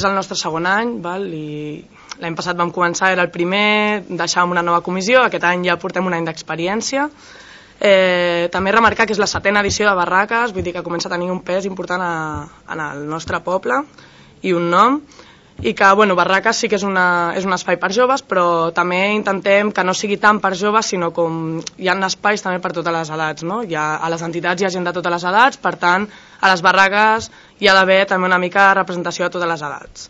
És el nostre segon any, i l'any passat vam començar, era el primer, deixàvem una nova comissió, aquest any ja portem un any d'experiència. També remarcar que és la 7a edició de Barraques, vull dir que comença a tenir un pes important en el nostre poble i un nom, i que Barraques sí que és un espai per joves, però també intentem que no sigui tant per joves, sinó com hi ha espais també per totes les edats, no? A les entitats hi ha gent de totes les edats, per tant, a les barraques hi ha d'haver també una mica representació de totes les edats.